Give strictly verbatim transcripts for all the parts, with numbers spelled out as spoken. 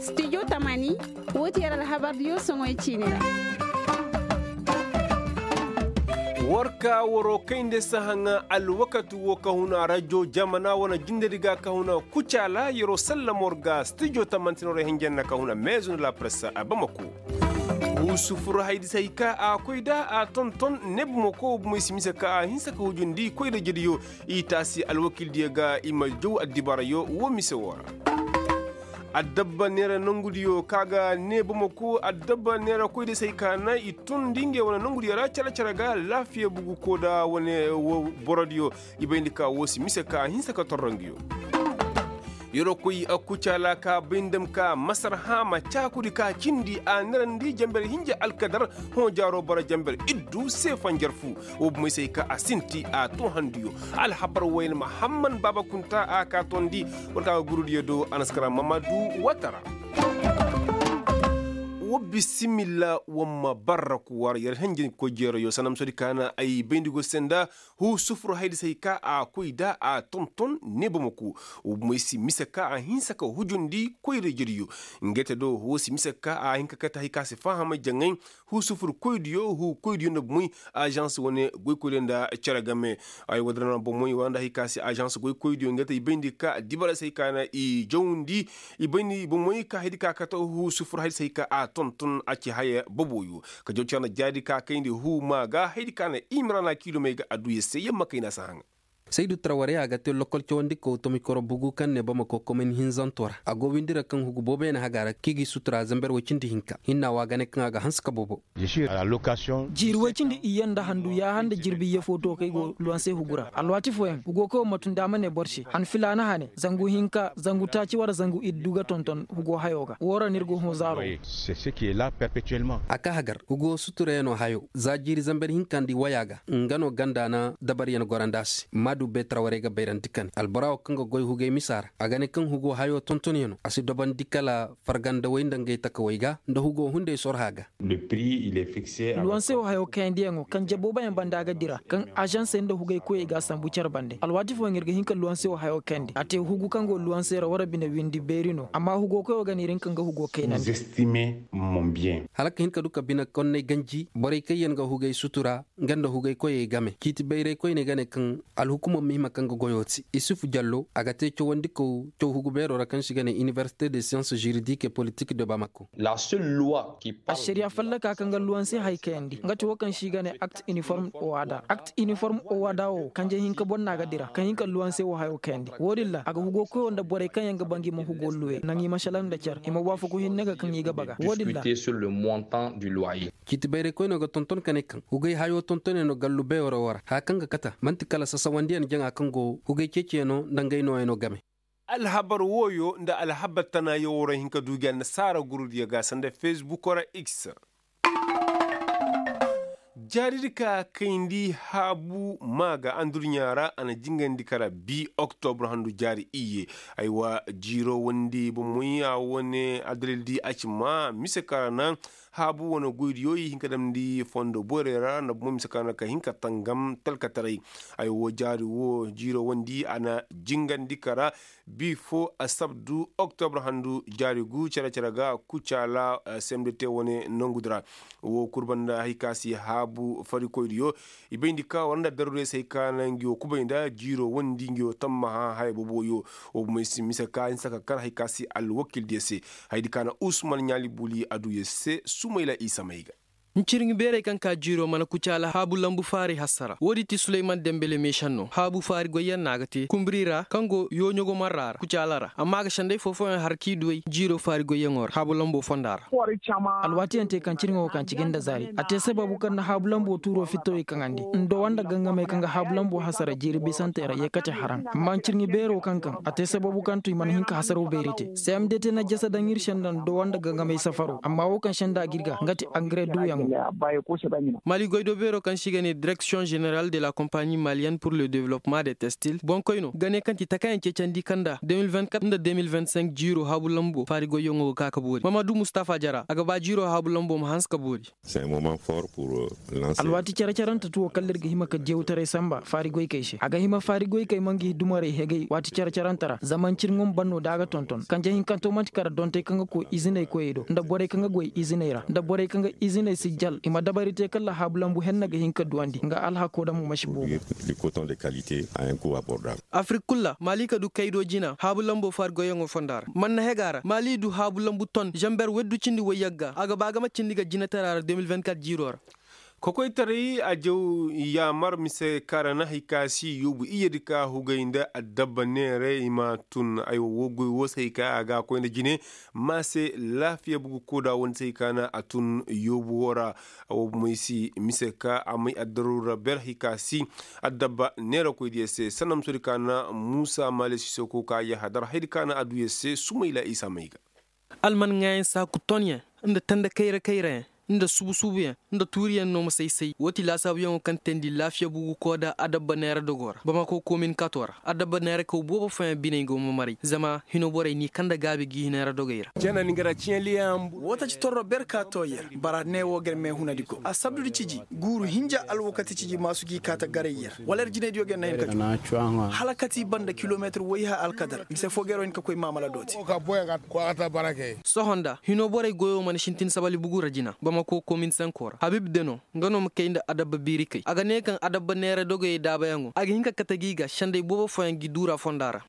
Studio tamani, wo ti yer alhabardiyo soŋoy ciini ra. War ka waroo kayndi sahaŋa alwakati woo ka huna rajo jamana wane jindedi ga ka huna kucaala yeroo sallama war ga studio tamani ti no ra hinjanna ka huna meezo nda la presse a bamako. Huu sufur haydi se hay ka a koy nda a tonton ne bamako bomoy si mise ka a hinsa ka hujundi koyra jediyo. I taasi alwakildiyo ga i ma jaw addibarayo woo mise woo ra. Addabba neera nongudiyo ka ga nee bamako addabba neera koydiyo se hay ka na i tundi ngey wane nongudiyo ra cere-cere ga laafiya bugu koo nda wane borodiyo. I bayndi ka woo si mise ka a hinsa ka torro nguyo. Yeroo koy kucaala ka bay nda ma ka masar haama caakudi ka cindi a neerandi janber hinja alkadar. Hõ jaaroo bara janber iddu se fanjar fu. Woo bomey se hay ka a sinti a too handuyo. Alhabar wayne mahamman baaba kunta a ka toondi. War ka ga gurudiyo do a na si kara mamadu watara. Woo bisimilla woo ma barra kuwar yer henjey koy jeerayo sanda ma soodi ka na ay bayndi go se nda. Huu sufur haydi se hay ka a koy nda a tonton ne bamako. Woo bomey si mise ka a hinsa ka hujundi koyra jediyo. Ngey te do woo si mise ka a hin ka kate hay ka si faham jaŋay. Huu sufur koydiyo huu koydiyo nda bomoy. Ažans wane goykoydiyo nda cere game. Ay woodin ra na bomoy wara nda hay ka si ažans goykoydiyo ngey te i bayndi ka dibara se hay ka na i jawndi. I bayndi bomoy ka haydi ka kate huu sufur haydi se hay ka a tonton a ci haya boboyo. Ka jaw cere nda jaari ka kayndi huu maa ga haydi ka na i mira na kiilomey ga adduya se yamma kayna si haŋa. Saydu traware a ga te lokol cawandikaw tomikoro bugu kaŋ ne bamako komin hinzanto ra a go windi ra kaŋ hugu booboyaŋ haga ra kaŋ i g'i sutura zanber woy cindi hinka hinna wo a ga ne kaŋ a ga hanse ka bobo. Jiiri woy cindi iyye nda handu yaaha nda jirbi iyye fo to kaŋ ay go luwanse hugu ra alwaati fooyaŋ hugo kaŋ wo ma tun da a ma ne boro se han filaana hane zangu hinka zangu taaci wara zangu iddu ga tonton hugo hayo ga woo ra no ir go hõ zaaro. A ka hagar hugo suturayano hayo za jiiri zamber hinka nda i waya ga nga no ganda na dabaryan gorandi a se maadu beetara warey ga bayrandi kane albora wo kaŋ ga goy hugey misa ra a ga ne kaŋ hugo hayo tontonyanoo a si dobandi kala fargandawey nda ngey takawey ga nda hugo hunday sorha ga. Luwanse wo hayo kayandiyaŋo kaŋ jaboobayaŋ banda ga dira kaŋ azansey nda hugey koyey ga a sambu care bande alwaati fooyaŋ ir ga hin ka luwanse wo hayo kayandi a te hugu kaŋ go luwanse ra wara bine windi beeri no amma hugo koyo ga ne ir hin ka nga hugo kaynandi. Hala ka hin ka du ka bine konney ganji borey kaŋ yaŋ ga hugey sutura nga nda hugey koyey game ciiti bayray koyney ga ne kaŋ alhukumo ma hima kaŋ ga goyo te isufu jallo a ga te cawandikaw caw hugu beero ra kaŋ se i ga ne inibersite de science juridik et politik de bamako. Ašariya fallaka kaŋ ga luwanse hay kayandi nga ti wo kaŋ se i ga ne akt iniform owada akt iniform owada wo kanje hinka boro no a ga dira kaŋ hin ka luwanse wo hayo kayandi wo- din ra a ga hugo koyo nda borey kaŋ yaŋ ga ba ngi ma hugo luwe naŋ i ma šalaŋ nda care i ma waafaku hinne ga kaŋ i ga baga wo- din ra. Ciiti bayray koyno ga tonton ka ne kaŋ hugey hayo tontonyaŋo gallu beero wo ra haya kaŋ ga kata man'ti kala sasawandiyaŋ jaŋa kaŋ go hugey ceeciyaŋo nda ngey nooyaŋo game. Alhabar wooyo nda alhabar tana yaŋ woo ra hin ka du gi annasaara gurudiyo ga sanda fesbukoo ra x. Jaaridi ka kayndi haabu maa ga andurɲaa ra a na jingandi kara bi oktobur handu jaari iyye. Aywa jiiroo wondi bomoy a wane adalildi a ci maa mise ka ra naŋ haabu wane goydiyo i hin ka damndi fondo borey ra nda bomoy mise ka ra naŋ ka hin ka tangam talkataray. Aywa jaari woo jiiroo wondi a na jingandi kara bi fo asabdu oktobur handu jaari gu cere-cere ga kucaala semdete wane nongudi ra. Woo kul banda hari ka si haabu farikoydiyo i bayndi ka war nda daruurey se hari ka na ngi woo kubay nda jiiroo wondi ngi woo tammaha haya boboyo. Woo bomey si mise ka hinsa ka kar hari ka si alwakildiyo se. Hayadi ka na usman ɲaali buli adduya se sumayla isa may ga. Ncirŋi beerey kaŋ ka jiiroo mana kucaala haabu lambu faari hassara woodi ti suleyman dembele meešan no haabu faari goyyaŋ no a ga te kumburi ra kaŋ go yooɲogo marra ra kucaala ra amma a ga senday foo-fooyaŋ har k'i duwey jiiroo faari goyyaŋo ra haabu lamboo fonda ra. Alwaatiyaŋ te kaŋ cirŋo kaŋ cigi nda zaari a te sababu kaŋ na haabu lamboo tuuroo fittawey kaŋandi nda wanda gangamey kaŋ ga haabu lamboo hassara jiiri bisantey ra yee kate haraŋ amma ncirŋi beeroo kaŋ kaŋ a te sababu kaŋ to i mana hin ka hasaroo beeri te. Cmdt na jasa daŋ ir senda nda wanda gangamey safaroo amma woo kaŋ senda ga ir ga nga ti angare duuyaŋ. Maali goydoo beeroo kaŋ se i ga ne direksiyoŋ ženeral de la kompani maliyenne pur le development de testil boŋkoynoo ga ne kaŋ ti takaayaŋ ceecandi kaŋ nda de mil vingt-quatre nda de mil vingt-cinq jiiroo haabu lamboo faari goyyaŋo ga ka ka boori mamadu mustafa jara a ga ba jiiroo haabu lamboo ma hanse ka boori. Alwaati care-carante tuwo kala ir ga hima ka jewtaray samba faari goykey se a ga hima faari goykey ma nga i dumarey hegay waati care-carante ra zama ncirŋo ma ban no da a ga tonton kanje hinkanto man'ti kara dontey kaŋ ga koy iziney koyey do nda borey kaŋ ga goy iziney ra nda borey kaŋ ga iziney si jal i ma dabari te kala haabu lambu henna ga hin ka duwandi nga alhakoo daŋ mo ma si boobo. Afirik kul ra maali ka du kaydo jina haabu lambo faari goyyaŋo fonda ra man na hega ra maali du haabu lambu ton zamber weddu cindi woy yagga a ga ba ga ma cindi ga jinatara ra de mil vingt-quatre jiiro ra. Kokoytaray a jaw yaamar mise kaŋ ra na hari ka si yoobu iyyedi ka hugay nda addabba neeray i ma tun aywa woo goy woo se hari ka a ga a koy nda jine ma se laafiya bugu kooda woo nda se hari ka na a tun yoobu woo ra. Woo bomey si mise ka a may addaru ra ber hari ka si addabba neerakoydiyo se sanda musoodi ka na muusa maale siisoko ka yahadar haydi ka na a duyo se sumayla isa may ga. Alman ŋaayaŋ saaku tonyaŋ nda tanda kayra kayrayaŋ nda subu subuyaŋ nda tuuriyaŋ no ma say-say woo ti laasaabuyaŋo kaŋ teendi laafiya bugu kooda adabba neera dogoo ra bamako komin kato ra adabba neera kaw boobo fooyaŋ biney go ma maray zama hino borey n'i kanda gaabi gi neera dogey ra. Woo taci torro ber ka too yer bara ne woo ga yer meehunadi go a sabdudi ciji guuru hinja alwakati ciji maasu g'i kaata garay yer wala yer jinaydiyo ga yer na hin ka juu hala kati banda kilometir wayha alkadar mise foo ga yer wo hin ka koy maamala dooti. Sohõ nda hinoo borey goyoo mana sintin sabali bugu ra jina bamako komin sanko ra habib deno nga no ma kay nda adabba biiri kay a ga ne kaŋ adabba neera dogayey daabayaŋo a ga hin ka kate g'i ga sendey boobo fooyaŋ gi duura fonda ra.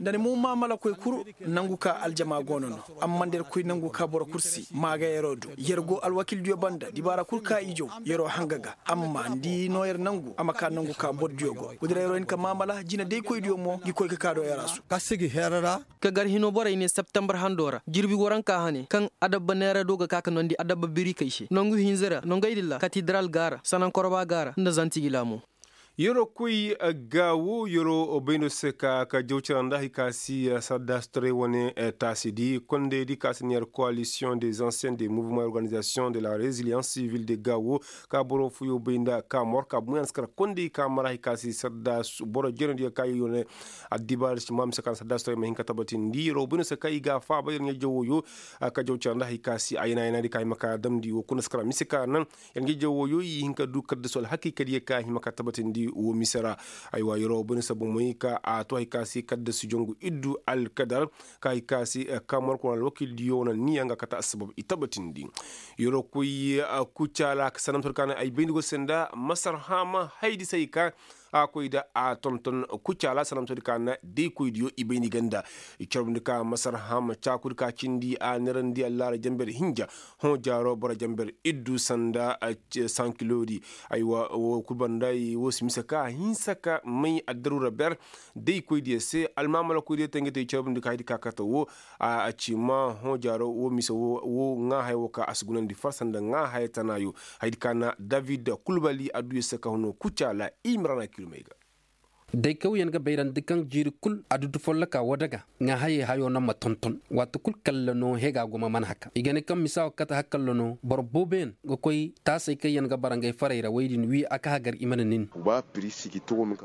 Nda ni mo maamalakoy kul nangu ka aljama goono no amma nda yer koy nangu ka boro kul si maagayaroo du yer go alwakildiyo banda dibaara kul ka i jaw yeroo hanga ga amma nda i noo yer nangu a ma ka nangu ka bordiyo go gudura yeroo hin ka maamala jinadaykoydiyo mo ngi koy ka kaa do yer a su. Ka gar hino borey ne septembar hando ra jirbi waranka hane kaŋ adabba neera do ga ka ka nondi adabba birikey se nangu hinza ra nongey din ra katidaral ga ra sanankorba ga ra nda zantigila mo. Yeroo koy gaawo yeroo bayndo se ka ka jaw cara nda hari ka si saddaasutaray wane taasi di kondey di ka si neer koalisiyoŋ des anciens des mouvements organizasiyoŋ de la reziliyans sivil de gaawo ka boro fuyo bay nda ka mor ka buŋ yaŋ si kar kondey ka mara hari ka si saddaas boro jeenadiyo ka yo ne addibaari si ma mise ka na saddaasutaray ma hin ka tabatindi yeroo bayndo se ka i ga a faaba yer ɲa jawo yo ka jaw cara nda hari ka si a yana yana di ka hima ka damndi wo kuna si kar mise ka naŋ yer ɲa jawo yo i hin ka du kaddasu alhakiikadiyo ka hima ka tabatindi wo mise ra. Aywa yeroo bayndo se bomey ka a to hari ka si kaddasu jongu iddu alkadar ka hari ka si ka mor kuna alwakiildiyo wane niya nga kate assabab i tabatindi. Yeroo koy kucaala ka sanda masar ka naŋ ay bayndi go se nda masar haama haydi se hari ka a koy nda a tonton kucaala sanda masar ka na daykoydiyo i bay ni ganda. I carbundi ka masar hama caakudi ka cindi a neerandi allaara jamber hinja hõ jaaro boro jamber iddu sanda sankilodi. Aywa wo kul banda wo si mise ka hinsa ka may addaruura ber daykoydiyo se almaamalakoydiyo te nga te i carbundi ka haydi ka kate wo. A ci ma hõ jaaro wo mise wo ŋaahaya wo ka a si gunandi farsa nda ŋaahaya tanaayo. Haydi ka na david kulbali adduyo se ka huno kucaala imrana kilmey ga. Day kawyaŋ ga bayrandi kaŋ jiiri kul adudu folloka woo daga ŋaahayey hayo no ma tonton waati kul kalla no hega go ma man haka i ga ne kaŋ misa wo kate hakalla no boro booboyaŋ ga koy taasey kaŋ yaŋ ga bara ngey farey ra wey din wi a ka hagar i mana nin.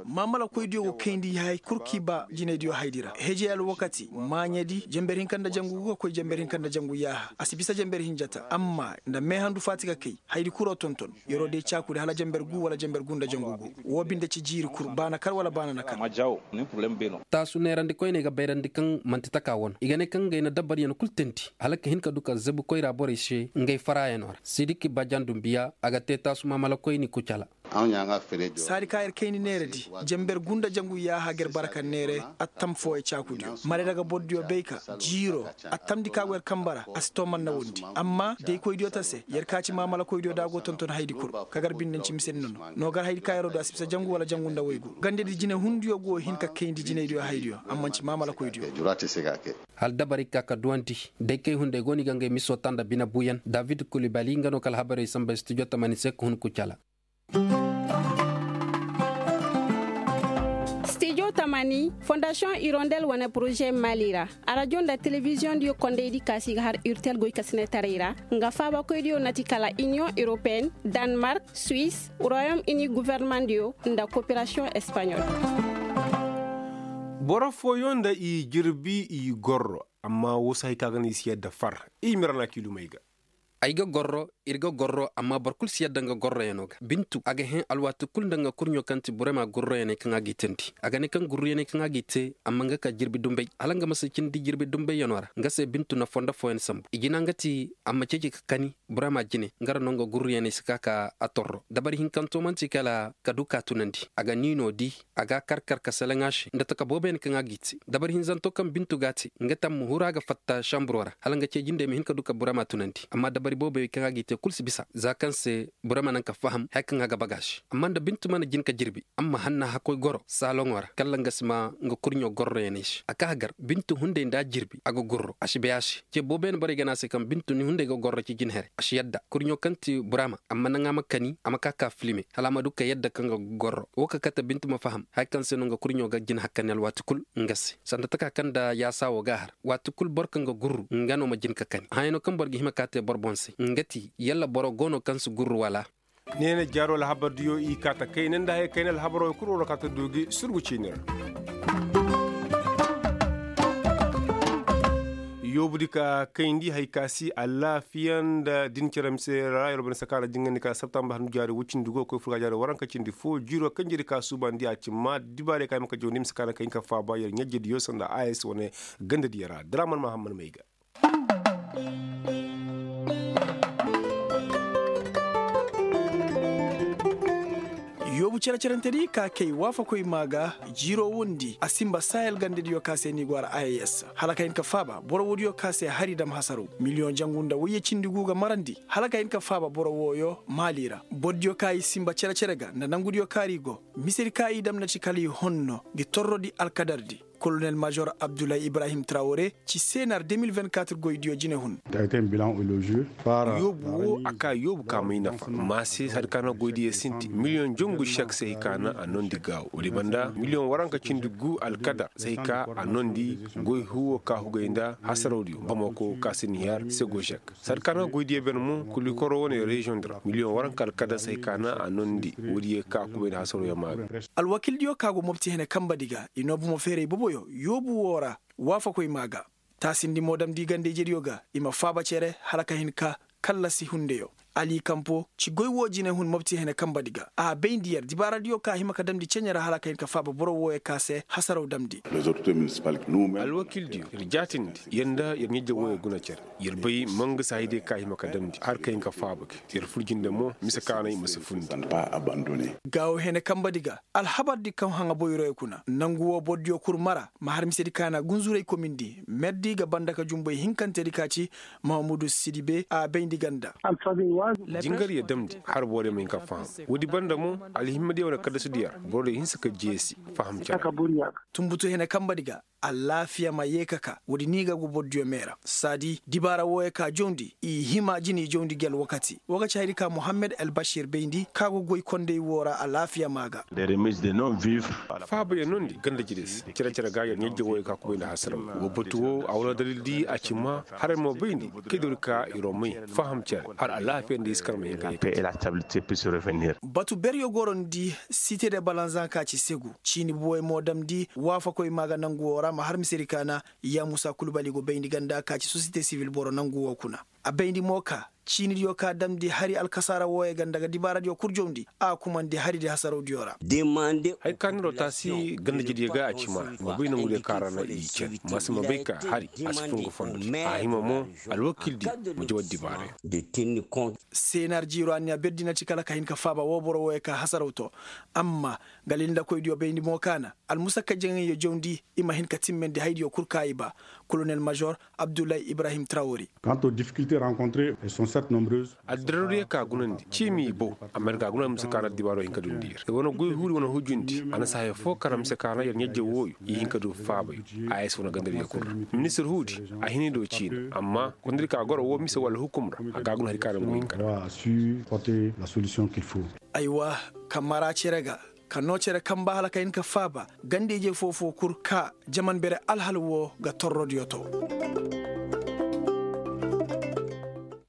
Maamalakoydiyo go kayndi hay kul kaŋ i ba jinaydiyo haydi ra hejey alwakati maaɲedi jamber hinka nda jangu gu ga koy jamber hinka nda jangu yaaha a si bisa jamber hinja ta amma nda meehandu faati ga kay haydi kuro tonton. Yeroo day caakudi hala jamber gu wala jamber gu nda jangu gu woo binde ci jiiri kul baana kar wala baana na kar. Taasu neerandi koyney ga bayrandi kaŋ man'ti taka wane i ga ne kaŋ ngey na dabaryaŋ kul teendi hala ka hin ka du ka zabu koyra borey se ngey faraayanoo ra sidiki bajandu mbiya a ga te taasu maamala koyni kucala. Saadi ka yer kayndi neeradi jamber gu nda jangu yaaha ga yer bara ka neere attam fooyey caakudiyo marayra ga bordiyo bay ka jiiroo attamdi ka go yer kamba ra a si too man na wondi amma daykoydiyo ta se yer ka ci maamalakoydiyo da a go tonton haydi kul ka gar binde nci misedi nono noo gar haydi ka yeroo du a si bisa jangu wala jangu nda waygu gandedi jinehundiyo go hin ka kayndi jinaydiyo haydiyo amma nci maamalakoydiyo. Hala dabari ka ka duwandi day kay hunday go no i ga ngey miso ta nda bine buyan david kulibali nga no ka alhabarey samba studio tamani se ka hun kucala. Studio Tamani fondasiyoŋ irondel wane poroze mali ra, arajo nda telebiziyoŋ diyo kondey di kaasi ga har urtel goy kasinetaray ra. Nga faabakoy diyo na ti kala iniyoŋ europeen, danmark, suis, royom ini guverneman diyo, nda koperasiyoŋ espanyol. Boro fooyoŋ nda i jirbi i gorro, amma woo si hay ka ga no i si yadda far. I mirana kiilumey ga. Ay ga gorro, ir ga gorro amma boro kul si yadda nga gorroyanoo ga bintu a ga hẽ alwaati kul nda nga kurɲo kaŋ ti burema gurroyaney kaŋ a g'i teendi. A ga ne kaŋ gurruyaney kaŋ a g'i te, amma nga ka jirbi dumbay hala nga ma si cindi jirbi dumbayyanoo ra nga se bintu na fondo fooyaŋ sambu i jina nga ti, a ma ceeci ka kani burema jine nga ra no nga gurruyaney si ka ka a torro dabari hinkanto man'ti kala ka du ka tunandi a ga niinoo di. A ga a kar kar ka seleŋ a se nda taka booboyaŋ kaŋ a g'i te dabari hinzanto kaŋ bintu g'a te, nga ti a ma huru a ga fatta sanburoo ra hala nga cee jindey ma hin ka du ka burema tunandi amma dabari booboyaŋ kaŋ a g'i te kul si bisa za kaŋ se burema naŋ ka faham haya kaŋ a ga baga a se. Amma nda bintu mana jin ka jirbi a ma hanna hakkoy goro saaloŋo ra kalla nga si ma nga kurɲo gorroyaney se a ka hagar bintu hunday nda a jirbi a ga gurro a si bay a se. Cee booboyaŋ borey ga ne a se kaŋ bintu ni hunday ga gorro ci jin here a si yadda kurɲo kaŋ ti burema amma naŋ a ma kani a ma ka ka filime hala a ma du ka yadda kaŋ ga gorro woo ka kate bintu ma faham haya kaŋ se no nga kurɲo ga jin hakkani alwaati kul. Nga se sanda taka kaŋ nda yaasa woo ga a har waati kul boro kaŋ ga gurru nga no ma jin ka kani hayano kaŋ boro ga hima ka te boro boŋ se nga ti yalla boro go no kaŋ si gurru wala? Ne na jaaro alhabar diyo i kaa ta kayna nda haya kayna alhabaroo kul woo ra ka ta du gi surgu ciini ra. Yoobu di ka kayndi hay ka si alaafiya nda din cere mise ra yer bane sakaara jingandi ka sabtamba handu jaari woy cindi go koy furga jaari waranka cindi foo jiiroo kaŋ jiri ka suubandi a ci maa dibaarey ka hima ka jawndi mise kaana ka hin ka faaba yer ɲajje diyo sanda a s wane ganda diyo ra draman mahamman may ga. Yoobu cere-cerentedi ka kay waafakoy maa ga jiiroo wondi a sinba sahel gandediyo ka se ni go a ra a s hala ka hin ka faaba boro woodiyo ka se hari dam hasaraw miliyoŋ jangu nda woyye cindi gu ga marandi hala ka hin ka faaba boro wooyo maali ra. Borodiyo ka i sinba cere-cere ga nda nangudiyo kaari go misedi ka i dam na ci kala i honno ngi torrodi alkadardi. Kolonel major abdullahi ibrahim trawore ci senar deux mille vingt-quatre goydiyo jinehun. Yoobu woo a ka yoobu ka may nafa maa se hari ka na goydiyo sinti miliyoŋ jongu sek se hay ka na a noondi gaawo woodi banda miliyoŋ waranka cindi gu alkadar se hay ka a noondi goy huwo ka hugay nda hasarawdiyo bamako ka se nihiyar se go sek. Sanda ka na goydiyo ben mo kulikoro wane reziyoŋ di ra miliyoŋ waranka alkadar se hay ka na a noondi woodiyo ka kubayndi hasarawyaŋ maa ga. Alwakildiyo ka go mopti hene kambadi ga i noo bomo feeray boboyo yoobu woo ra. Waafakoy maa ga taasindi mo damndi ganda-ijediyo ga i ma faaba cere hala ka hin ka kallasi hundeyo. Ali kampo ci goy woo jinehun mopti hene kambadi ga a bayndi yer dibaaradiyo ka hima ka damndi ceɲe ra hala ka hin ka faaba boro wooyo ka se hasaraw damndi. Alwakildiyo ir jaatindi yer nda yer ɲajje wooyo guna cere. Yer bay mangasa hayadiyo ka hima ka damndi har ka hin ka faaba gi yer fur jinde mo mise kaanay ma si fundi. Gaawo hene kambadi ga alhabardi kaŋ haŋa boyroyo kuna nangu woo bordiyo kul mara ma har misedi kaana gunzuray komindi merdi ga banda ka jumbay hinkantedi ka ci mahamudu sidibe a bayndi ganda. Jingaryo damndi har borey ma hin ka faham woodi banda mo alhimmadiyo wane kaddasudiyo ra borodiyo hinsa ka jeesi faham care. Tunbutu hene kambadi ga alaafiya ma yee ka ka woodi ni ga go bordiyo meera saadi dibaara wooyo ka jawndi i hima jini jawndi gi alwakati woo ga ci hayadi ka muhammad albashir bayndi ka go goy kondey woo ra alaafiya maa ga. Faabayaŋ no nda ganda jire se cere-cere ga yer ɲajje wooyo ka kubay nda hasaraw woo batu woo a wane dalil di a ci maa haray mo bayndi kay dori ka iro may faham care har alaafiya nda i si kar ma hin ga. Batu beryo goro nda site de balanzan ka ci segu ciini buwey mo damndi waafakoy maa ga nangu woo ra ma har misedi kaana. Yaamusa kulubali go bayndi ganda ka ci sosiyete sibil boro nangu woo kuna a bayndi mo ka ciinidiyo ka damndi hari alkasaara wooyo ganda ga dibaaradiyo kul jawndi a kumandi haridi hasarawdiyo ra. Hay ka niroo taasi gandajediyo ga a ci maa i ma bay nangudiyo ka ra na i cere ma si ma bay ka hari a si fun ga fondo a hima mo alwakildi ma jawar dibaarayo. Seenar jiiro anniya berdi na ci kala ka hin ka faaba woo boro wooyo ka hasaraw to. Amma galilndakoydiyo bayndi mo ka na almusakka jaŋayyo jawndi i ma hin ka timmandi haydiyo kul ka i ba. Kolonel major abdullahi ibrahim trawori. Addirardiyo ka gunandi ciimi i bow. Amma ir ga a guna mise kaana addibaaro hin ka dundi ir ir wane goy huudi wane hujundi a na si haya foo kara mise kaana yer ɲajje wooyo i hin ka du faabay. A s wane gandariyo kul ra ministir huudi a hini do ciina amma kondiri ka goro woo mise wala hukum ra a ga a guna hari kaana ngu hin ka ra. Aywa, ka mara cere ga. ka noo cere kaŋ ba hala ka hin ka faaba ganda-ije foo-foo kul ka jaman bere alhal woo ga torrodiyo too.